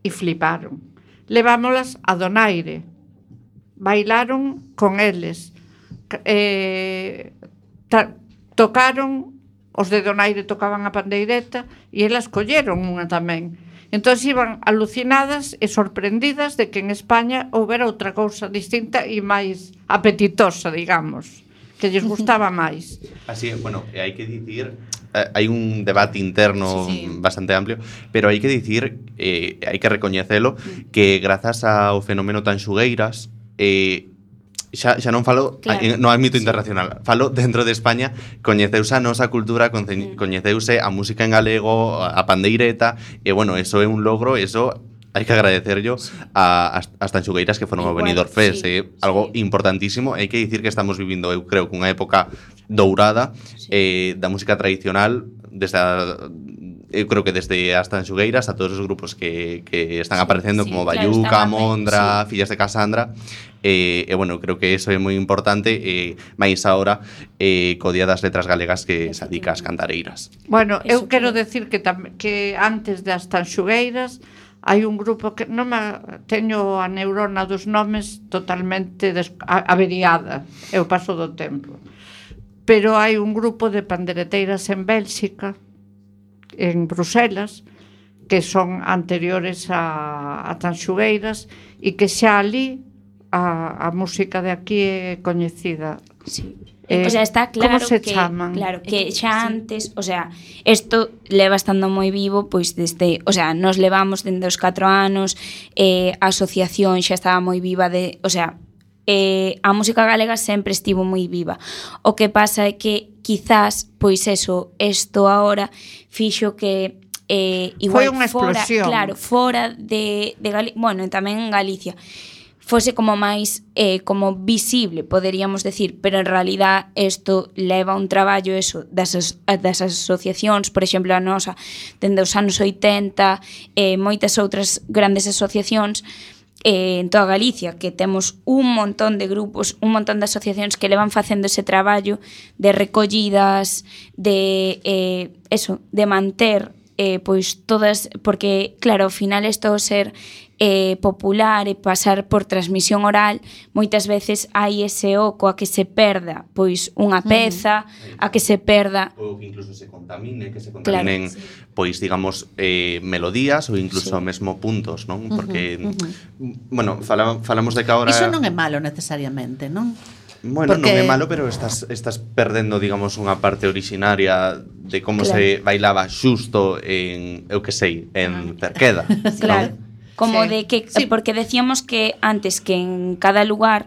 e fliparon. Levámolas a Donaire, bailaron con eles, eh, ta, tocaron, os de Donaire tocaban a pandeireta, e elas colleron unha tamén. Entón iban alucinadas e sorprendidas de que en España houbera outra cousa distinta e máis apetitosa, digamos, que lles gustaba máis. Así, bueno, hai que dicir, eh, hai un debate interno sí, sí. bastante amplio, pero hai que dicir, eh, hai que recoñecelo, que grazas ao fenómeno tan xugueiras, eh, xa, xa non falo Claro. claro. no ámbito internacional, falo dentro de España, coñeceuse a nosa cultura, conce- coñeceuse a música en galego, a pandeireta, e bueno, eso é un logro, eso hai que agradecerlo sí. a, as, as tanxugueiras que foron ao Igual, Benidorm Fest, sí, é sí. algo sí. importantísimo, hai que dicir que estamos vivindo, eu creo, cunha época dourada sí. eh, da música tradicional, desde a, eu creo que desde as tanxugueiras a todos os grupos que, que están sí, aparecendo sí, como Bayuca, claro, Mondra, sí. Fillas de Casandra, e, eh, eh, bueno, creo que eso é moi importante, e eh, máis ahora eh, co Día das Letras Galegas que se adica ás cantareiras. Bueno, eu Eso quero que- decir que, tam, que antes das tanxugueiras hai un grupo que non me teño a neurona dos nomes totalmente des, a, averiada, eu paso do tempo. Pero hai un grupo de pandereteiras en Bélxica, en Bruselas, que son anteriores a, a tanxugueiras e que xa ali a, a música de aquí é coñecida. Sí. Eh, o sea, está claro como se que chaman? claro que xa antes, o sea, isto leva estando moi vivo pois desde, o sea, nos levamos dende os catro anos, eh, a asociación xa estaba moi viva de, o sea, eh, a música galega sempre estivo moi viva. O que pasa é que quizás, pois eso, isto agora fixo que eh, igual Foi unha fora, explosión. claro, fora de, de Galicia, bueno, tamén en Galicia, fose como máis eh, como visible, poderíamos decir, pero en realidad isto leva un traballo eso das, as- das asociacións, por exemplo, a nosa, dende os anos oitenta, e eh, moitas outras grandes asociacións eh, en toda Galicia, que temos un montón de grupos, un montón de asociacións que levan facendo ese traballo de recollidas, de eh, eso, de manter eh, pois todas, porque claro, ao final isto ser eh, popular e pasar por transmisión oral, moitas veces hai ese oco a que se perda pois unha peza, a que se perda Ou que incluso se contamine, que se contaminen, claro, sí. pois, digamos, eh, melodías ou incluso Sí. mesmo puntos, non? Porque, Uh-huh, uh-huh. bueno, fala, falamos de que ahora... Iso non é malo necesariamente, non? Bueno, Porque- non é malo, pero estás, estás perdendo, digamos, unha parte originaria de como Claro. se bailaba xusto en, eu que sei, en Cerqueda. Claro, non? como Sí. de que Sí. porque decíamos que antes que en cada lugar,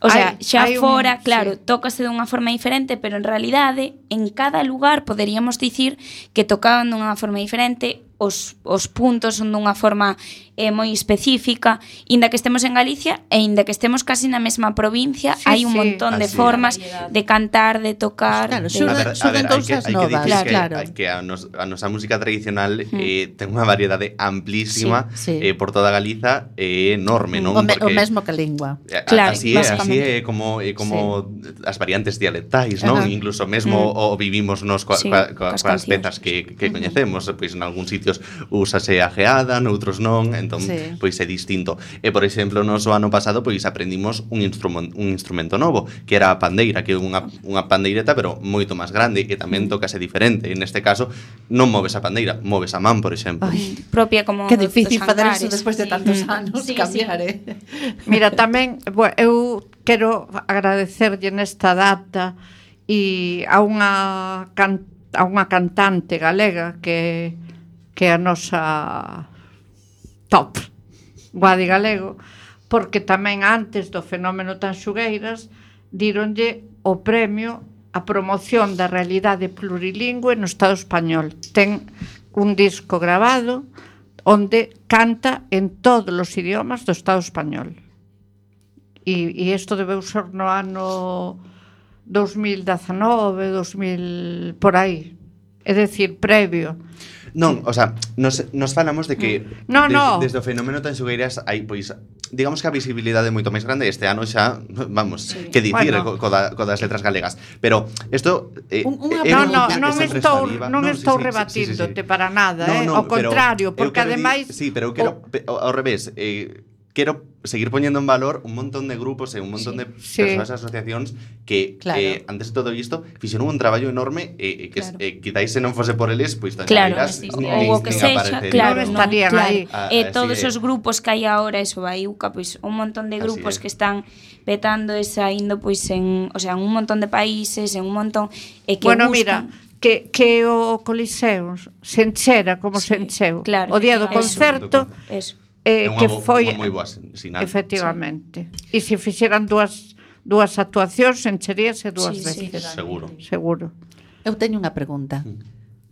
o sea, Hai- xa hai un- fora, claro, sí. tócase dunha forma diferente, pero en realidade en cada lugar poderíamos dicir que tocaban dunha forma diferente, os, os puntos son dunha forma eh, moi específica, inda que estemos en Galicia e inda que estemos casi na mesma provincia, Sí, hai un sí. montón de Así é. formas de cantar, de tocar, Claro, de... xurda- A ver, a xurdan ver, hai que, cousas hai que novas, dicir claro, que, claro. hai que a, nos, a nosa música tradicional eh, ten unha variedade amplísima Sí, sí. Eh, por toda Galiza, é eh, enorme, non? O, me, o Porque- mesmo que a lingua. A- Claro, así é, así basicamente. é como é como as variantes dialectais, non? Ajá. Incluso mesmo Mm. o vivimos nos coa, Sí, coa, coa, coas coas cancións. pezas que, que coñecemos, pois en algúns sitios úsase a geada, noutros non, entón Sí. pois é distinto. E por exemplo, nos o ano pasado pois aprendimos un instrumento un instrumento novo, que era a pandeira, que é unha unha pandeireta pero moito máis grande e tamén tocase diferente. En este caso non moves a pandeira, moves a man, por exemplo. Ai, propia como que dos- difícil dos facer eso hangares. despois de Sí. tantos Mm. anos, Sí, cambiar, sí. eh? Mira, tamén, bueno, eu quero agradecerlle nesta data e a unha can, a unha cantante galega que que é a nosa top Guadi Galego, porque tamén antes do fenómeno Tanxugueiras díronlle o premio a promoción da realidade plurilingüe no Estado español. Ten un disco grabado onde canta en todos os idiomas do Estado español. E, e isto debeu ser no ano dos mil dezanove, dos mil por aí. É dicir, previo. Non, o sea, nos, nos falamos de que No, des, no. desde o fenómeno Tanxugueiras hai, pois, digamos que a visibilidade é moito máis grande. Este ano xa, vamos, Sí. que dicir Bueno. co, co, da, co das letras galegas. Pero isto eh, Un- unha é No, un no, dicir que non sempre estou, saliva. non sí, estou sí, sí, rebatíndote sí, sí. para nada, No, eh? no, Ao pero contrario, eu porque quero dir- ademais... Sí, pero eu quero, pe- ao ao revés, eh, quero seguir poñendo en valor un montón de grupos e un montón de Sí. persoas e asociacións que, Claro. eh, antes de todo isto, fixeron un traballo enorme e eh, que Claro. eh, quizáis se non fose por eles, pois Claro, Tanxugueiras sí, nin- sí, ou o nin que sexa, aparecería. claro, Non non, estarían claro. aí. Ah, E así todos é. os grupos que hai agora, eso, Baiuca, pois un montón de Así grupos é. que están petando e saindo pois en, o sea, en un montón de países, en un montón e que Bueno, gustan. mira, que, que o Coliseo se enchera como se Sí, encheu. claro. O día do Eso. concerto, Eso. eh, É unha que bo- foi... unha moi boa sin- sinal. Efectivamente. E se fixeran dúas dúas actuacións encheríase dúas Sí, sí, veces. Seguro. Seguro. Eu teño unha pregunta.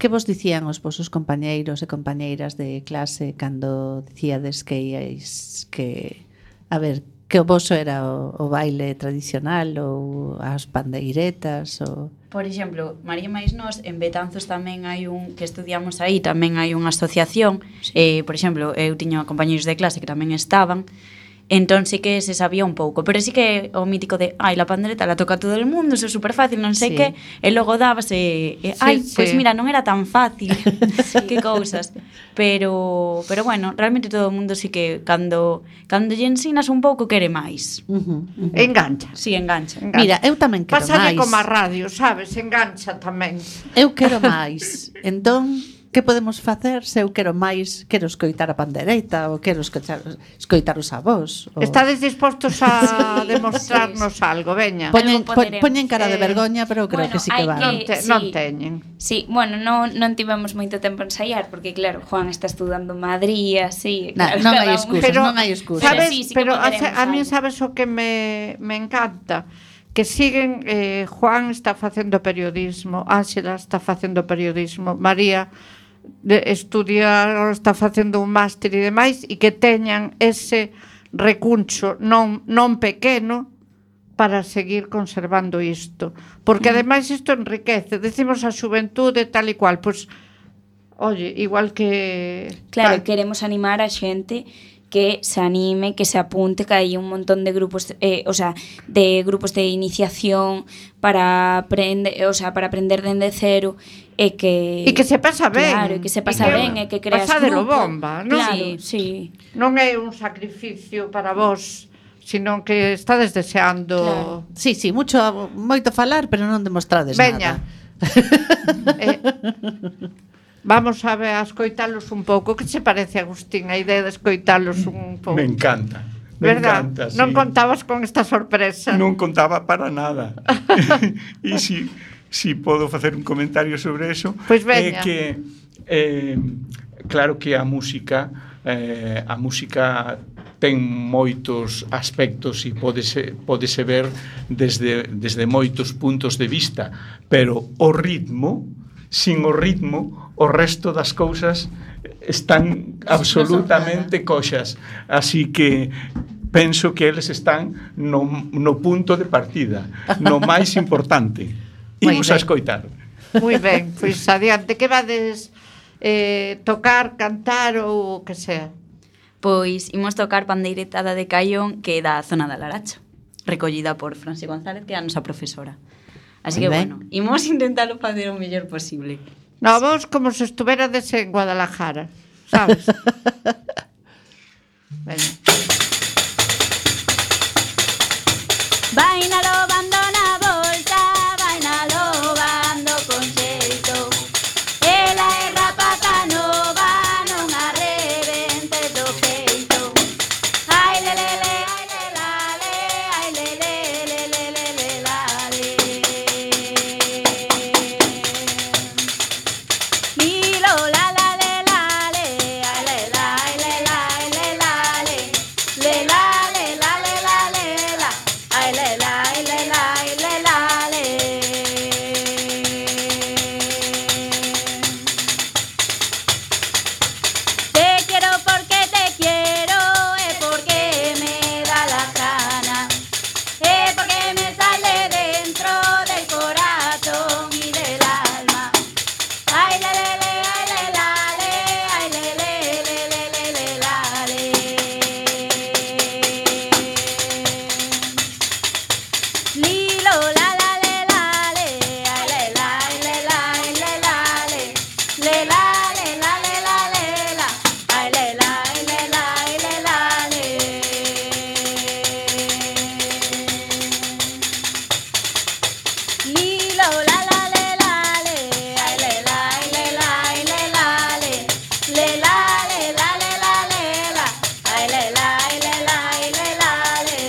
Que vos dicían os vosos compañeiros e compañeiras de clase cando dicíades que íais que, a ver, que o voso era o, o baile tradicional ou as pandeiretas ou... Por exemplo, María máis nós, en Betanzos tamén hai un, que estudiamos aí, tamén hai unha asociación, eh, por exemplo, eu tiña compañeiros de clase que tamén estaban, entón sí que se sabía un pouco, pero sí que o mítico de, ai, la pandereta la toca todo el mundo, eso é super fácil, non sei Sí. que, e logo dábase, e, ai, Sí, pois sí. mira, non era tan fácil, que cousas, pero pero bueno, realmente todo o mundo sí que cando cando lle ensinas un pouco quere máis. Uh -huh, uh -huh. Engancha. Si, sí, engancha. engancha. Mira, eu tamén quero Pásalle máis. como a radio, sabes? Engancha tamén. Eu quero máis. Entón, que podemos facer se eu quero máis, quero escoitar a pandereita ou quero escoitar, escoitar os avós? Ou... Estades dispostos a demostrarnos algo, veña. Poñen, Algo po, poderemos. poñen cara de Eh, vergoña, pero creo bueno, que sí que hai van. Non, que- te, sí. non teñen. Sí, bueno, non, non tivemos moito tempo a ensaiar, porque claro, Juan está estudando en Madrid, así, Na, claro, non cada hai un- excusas, Pero, non hai excusas. sabes, Sí, sí que pero a, poderemos a mí algo. sabes o que me, me encanta? Que siguen, eh, Juan está facendo periodismo, Ángela está facendo periodismo, María de, estudia, está facendo un máster e demais, e que teñan ese recuncho non, non pequeno para seguir conservando isto. Porque ademais isto enriquece, decimos a xuventude tal e cual, pois, oye, igual que... Claro, tal, queremos animar a xente que se anime, que se apunte, que hai un montón de grupos, eh, o sea, de grupos de iniciación para aprender, o sea, para aprender dende cero e que E que se pasa ben. Claro, e que se pasa E que ben e que creas pasadelo grupo. bomba, non? Claro, sí. Non é un sacrificio para vos, sino que estades deseando... Claro. Sí, sí, mucho, moito falar, pero non demostrades Veña. nada. eh, vamos a ver a escoitalos un pouco. Que se parece, Agustín, a idea de escoitalos un pouco? Me encanta. Me Verdad? encanta, sí. Non contabas con esta sorpresa. Non contaba para nada. E si, si podo facer un comentario sobre eso, Pois é veña. que eh, claro que a música eh, a música ten moitos aspectos e pódese, pódese ver desde, desde moitos puntos de vista, pero o ritmo, sin o ritmo, o resto das cousas están absolutamente coxas. Así que penso que eles están no, no punto de partida, no máis importante. Moi Imos a ben. escoitar. Moi ben, pois adiante. Que vades eh, tocar, cantar ou o que sea? Pois imos tocar Pandeiretada de Caión, que é da zona da Laracha, recollida por Franci González, que é a nosa profesora. Así Moi que, ben. bueno, imos intentalo facer o mellor posible. No, vos como se estuverades en Guadalajara, sabes? Veña. Vai na lobando na bolsa, vai na lobando con xeito. Ela é rapata nova, non a rebente do peito. Ai le le le, ai le la le, ai le le le le le le la le. Milo la la le la le, ai le la, ai le la, ai le la le. Le la le la le la le la. Ay le la, ay le la, ay le la le. Te quiero porque te quiero, es porque me da la gana, es porque me sale dentro del corazón y del alma. Ay le le le, ay le la le, ay le le le le le le la le. Lilo la la le la le, ay le la, ay le la, ay le la le, le la le la le la le la, ay le la, ay le la, ay le la le. Lilo la la le la le, ay le la, ay le la, ay le la le, le la le la le la le la, ay le la, ay le la, ay le la le.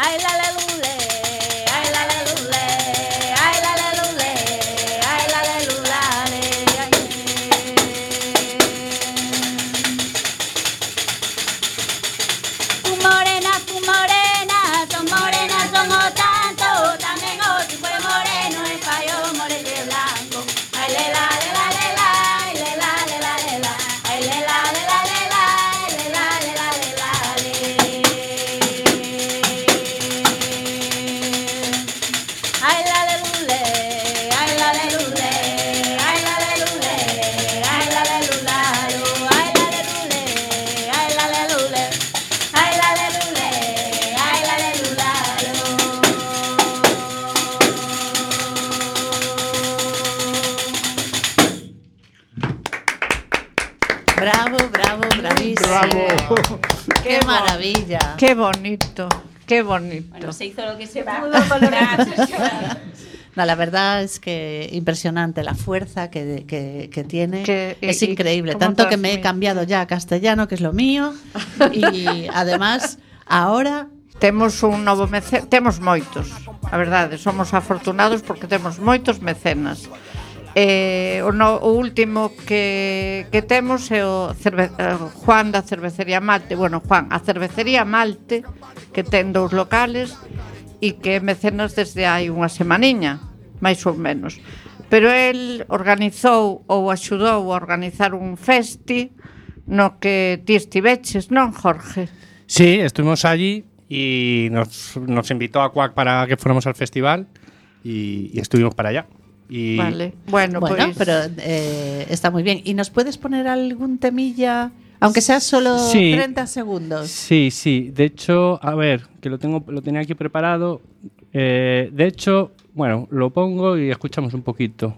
Ay la la lule, ay la la lule, ay la la lule, ay la la lulale, ay. Tu morena, tu morena, son morenas, son o tanto, tamén o tipo de moreno, e fai o morete blanco. Ay le la le la le la, ay le la le la le la, ay le la le la le la, ay le la le la le la le. Ay la le lule, ay la le lule, ay la le lule, ay la le lularo, ay la le lule, ay la le lule, ay la le lule, ay la le lularo. Bravo, bravo, bravísimo. Bravo. Qué maravilla. Qué bonito, qué bonito. Bueno, se hizo lo que se pudo con los recursos. No, la verdad es que impresionante la fuerza que, que, que tiene. Que- es y- y increíble. cómo Tanto que me he transmite. cambiado ya a castellano, que es lo mío. Y además, ahora Temos un novo mecenas, temos moitos, a verdade, somos afortunados porque temos moitos mecenas. Eh, o, no, o último que, que temos é o cerve, eh, Juan da Cervecería Malte. Bueno, Juan, a Cervecería Malte, que ten dous locales e que é mecenas desde hai unha semaniña, máis ou menos. Pero el organizou ou axudou a organizar un festi no que ti estiveches, non, Jorge? Sí, estuvimos allí y nos, nos invitó a Cuac para que fuéramos al festival y, y estuvimos para allá. Y Vale, bueno, bueno, pues pero eh, está muy bien. ¿Y nos puedes poner algún temilla, aunque sea solo Sí. treinta segundos? Sí, sí. De hecho, a ver, que lo tengo, lo tenía aquí preparado. Eh, de hecho, bueno, lo pongo y escuchamos un poquito.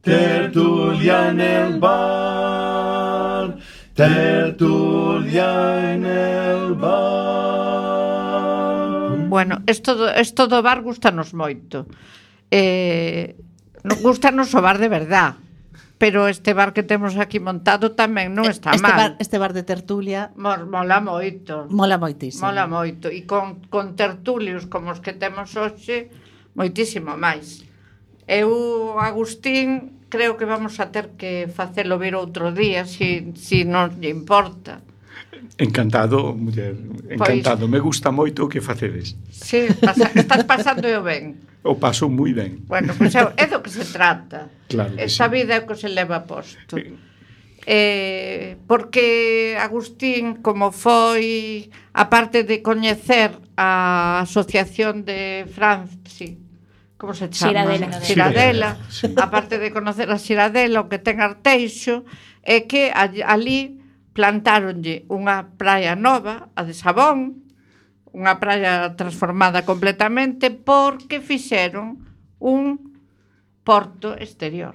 Tertulia en el bar, tertulia en el bar. Bueno, esto do, esto do bar gustanos moito. Eh, non gustanos o bar de verdad, pero este bar que temos aquí montado tamén non está este mal. Bar, este bar de tertulia Mor, mola moito. mola moitísimo. Mola moito. E con, con tertulios como os que temos hoxe, moitísimo máis. Eu, Agustín, creo que vamos a ter que facelo vir outro día, si, si non lle importa. Encantado, muller, encantado. Me gusta moito o que facedes. Sí, pasa, estás pasando eu ben. O paso moi ben. Bueno, pois é, é do que se trata. Claro que Esta sí. vida é o que se leva posto. Eh, porque Agustín, como foi, aparte de coñecer a Asociación de Franci, como se chama? Xiradela. Xiradela. Sí. Aparte de conocer a Xiradela, o que ten Arteixo, é que all- ali plantáronlle unha praia nova, a de Sabón, unha praia transformada completamente, porque fixeron un porto exterior.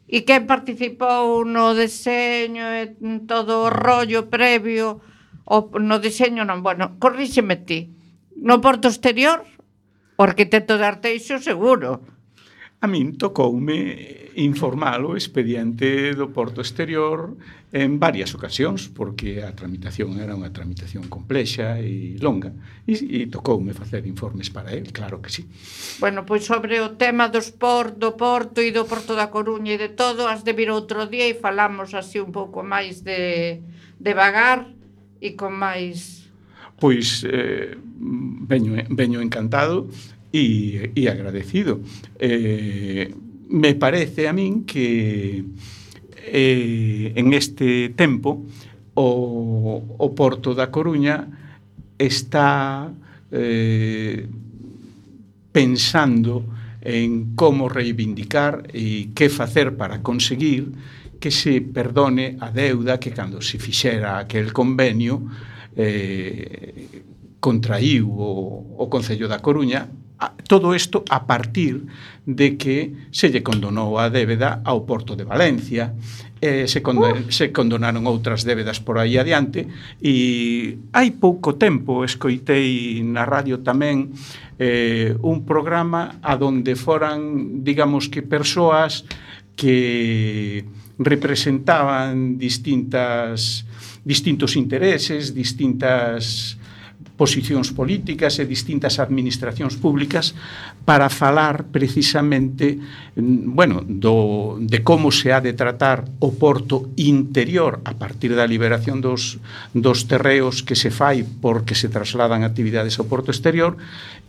E quen participou no deseño e en todo o rollo previo, o no deseño non, bueno, corríxeme ti, no porto exterior, o arquitecto de Arteixo seguro. A min tocoume informar o expediente do Porto Exterior en varias ocasións, porque a tramitación era unha tramitación complexa e longa, e, e tocoume facer informes para el, claro que sí. Bueno, pois sobre o tema dos por, do Porto e do Porto da Coruña e de todo, has de vir outro día e falamos así un pouco máis de devagar e con máis... Pois eh, veño, veño encantado e, e agradecido. Eh, me parece a min que eh, en este tempo o, o Porto da Coruña está eh, pensando en como reivindicar e que facer para conseguir que se perdone a deuda que cando se fixera aquel convenio eh, contraíu o, o Concello da Coruña, a, todo isto a partir de que se lle condonou a débeda ao Porto de Valencia, eh, se, condon, uh. se condonaron outras débedas por aí adiante, e hai pouco tempo escoitei na radio tamén eh, un programa a donde foran, digamos que persoas que representaban distintas distintos intereses, distintas posicións políticas e distintas administracións públicas para falar precisamente, bueno, do, de como se ha de tratar o porto interior a partir da liberación dos, dos terreos que se fai porque se trasladan actividades ao porto exterior,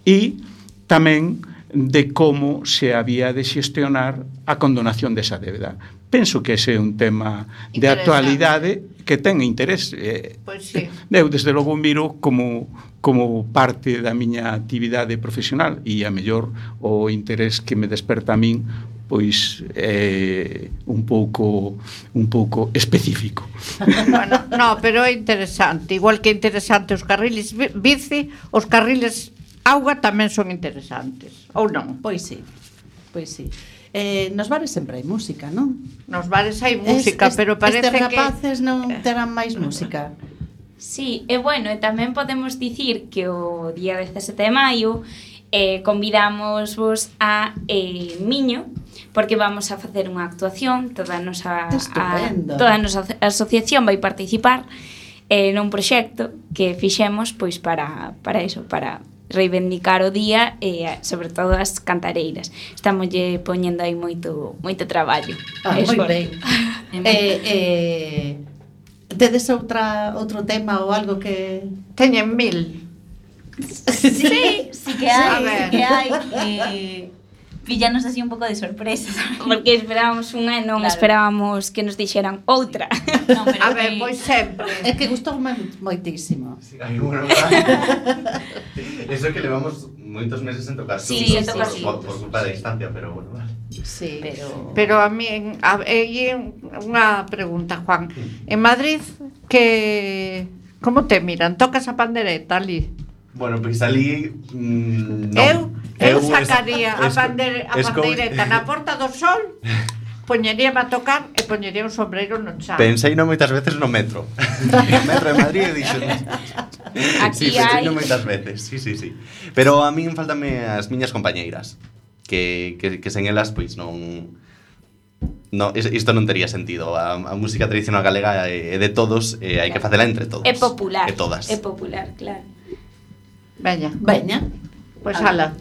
e tamén de como se había de xestionar a condonación desa débeda. Penso que ese é un tema de actualidade que ten interés. Eh, pois sí. Eu, desde logo, miro como, como parte da miña actividade profesional, e a mellor o interés que me desperta a min pois é un pouco un pouco específico. Bueno, no, pero é interesante, igual que é interesante os carriles bici, os carriles auga tamén son interesantes, ou non? Pois sí, pois sí. Eh, nos bares sempre hai música, non? Nos bares hai música, es, es, pero parece que... Estes rapaces que... non terán máis música. Sí, e bueno, e tamén podemos dicir que o día dezasete de maio eh, convidamos vos a eh, Miño, porque vamos a facer unha actuación, toda a nosa, a, toda a nosa asociación vai participar eh, nun proxecto que fixemos pois para, para eso, para reivindicar o día e sobre todo as cantareiras. Estamos lle poñendo aí moito moito traballo. Ah, moi ben. eh, eh, tedes outra outro tema ou algo que teñen mil? Sí, sí que hai, sí que hai. Eh, Pillanos así un pouco de sorpresa, porque esperábamos unha e non claro. Esperábamos que nos dixeran outra. No, pero a ver, pois sempre. É que gustoume moitísimo. Sí, ay, bueno, eso que levamos moitos meses en tocar. Sí, sí, por, sí. Por, por culpa da distancia, pero bueno, vale. Sí, pero pero a mí a, e unha pregunta, Juan. En Madrid que como te miran? Tocas a pandereta ali? Bueno, pois ali mm, non. Eu, eu sacaría es, a, pander, a pandeireta na Porta do Sol, poñeríame a tocar e poñería un sombreiro no chan. Pensei non moitas veces no metro. No metro de Madrid e dixo. Aquí sí, hai. Pensei non moitas veces, sí, sí, sí. Pero a min faltame as miñas compañeiras, que, que, que sen elas, pois non... No, isto non tería sentido. A, a música tradicional galega é de todos, e hai que facela entre todos. É popular. E todas. É popular, claro. Veña, veña. Pois pues, ala.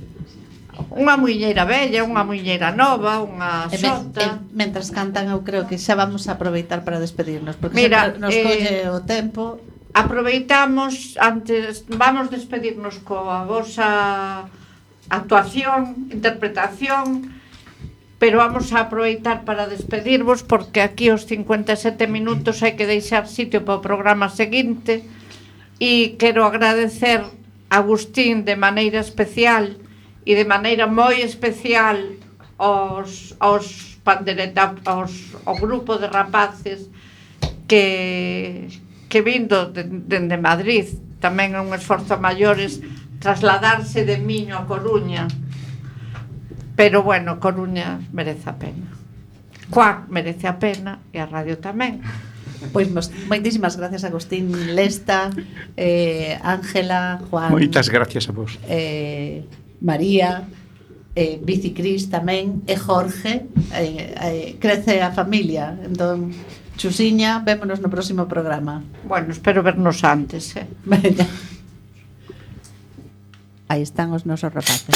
Unha muiñeira bella, unha muiñeira nova, unha xota. E, mentras cantan, eu creo que xa vamos a aproveitar para despedirnos, porque mira, nos eh, colle o tempo. Aproveitamos antes, vamos despedirnos coa vosa actuación, interpretación, pero vamos a aproveitar para despedirvos porque aquí os cincuenta e sete minutos hai que deixar sitio para o programa seguinte, e quero agradecer a Agustín de maneira especial e de maneira moi especial aos, aos pandereta, aos, ao grupo de rapaces que, que vindo de, de, de Madrid, tamén é un esforzo maiores trasladarse de Miño a Coruña, pero bueno, Coruña merece a pena, Cuac merece a pena e a radio tamén. Pois moitísimas gracias, Agustín, Lesta, eh, Ángela, Juan. Moitas gracias a vos. Eh, María, eh, Bicicris tamén, e Jorge, eh, eh, crece a familia. Entón, Chusiña, vémonos no próximo programa. Bueno, espero vernos antes, eh. Venga. Aí están os nosos rapaces.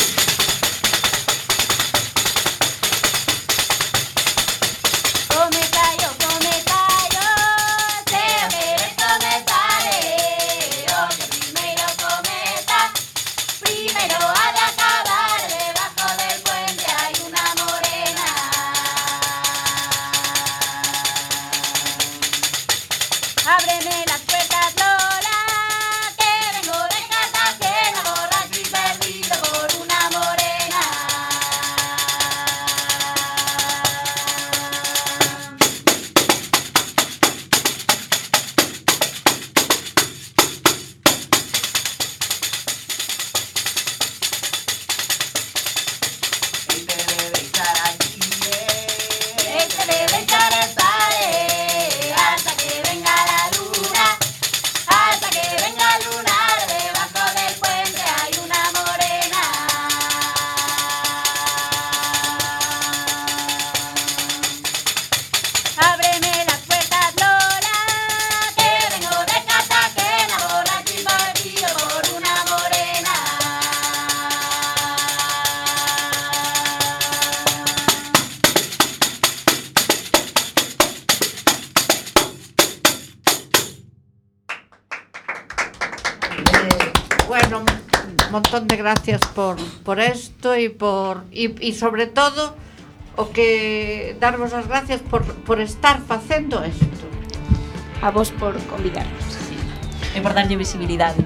Come callo, come callo, te lo quieres comenzar. Bueno, un montón de gracias por por esto y por y, y sobre todo o que darvos as gracias por por estar facendo isto. A vos por convidarnos. E por darlle visibilidade.